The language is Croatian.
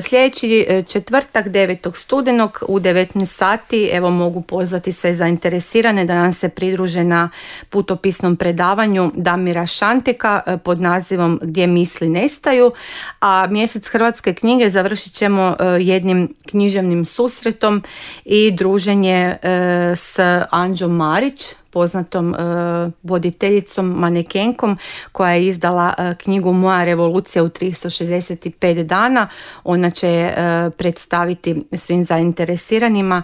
Sljedeći četvrtak 9. studenog u 19 sati evo mogu pozvati sve zainteresirane da nam se pridruže na putopisnom predavanju Damira Šanteka pod nazivom Gdje misli nestaju, a mjesec hrvatske knjige završit ćemo jednim književnim susretom i druženje s Anđom Marić, poznatom voditeljicom, manekenkom koja je izdala knjigu Moja revolucija u 365 dana. Ona će predstaviti svim zainteresiranima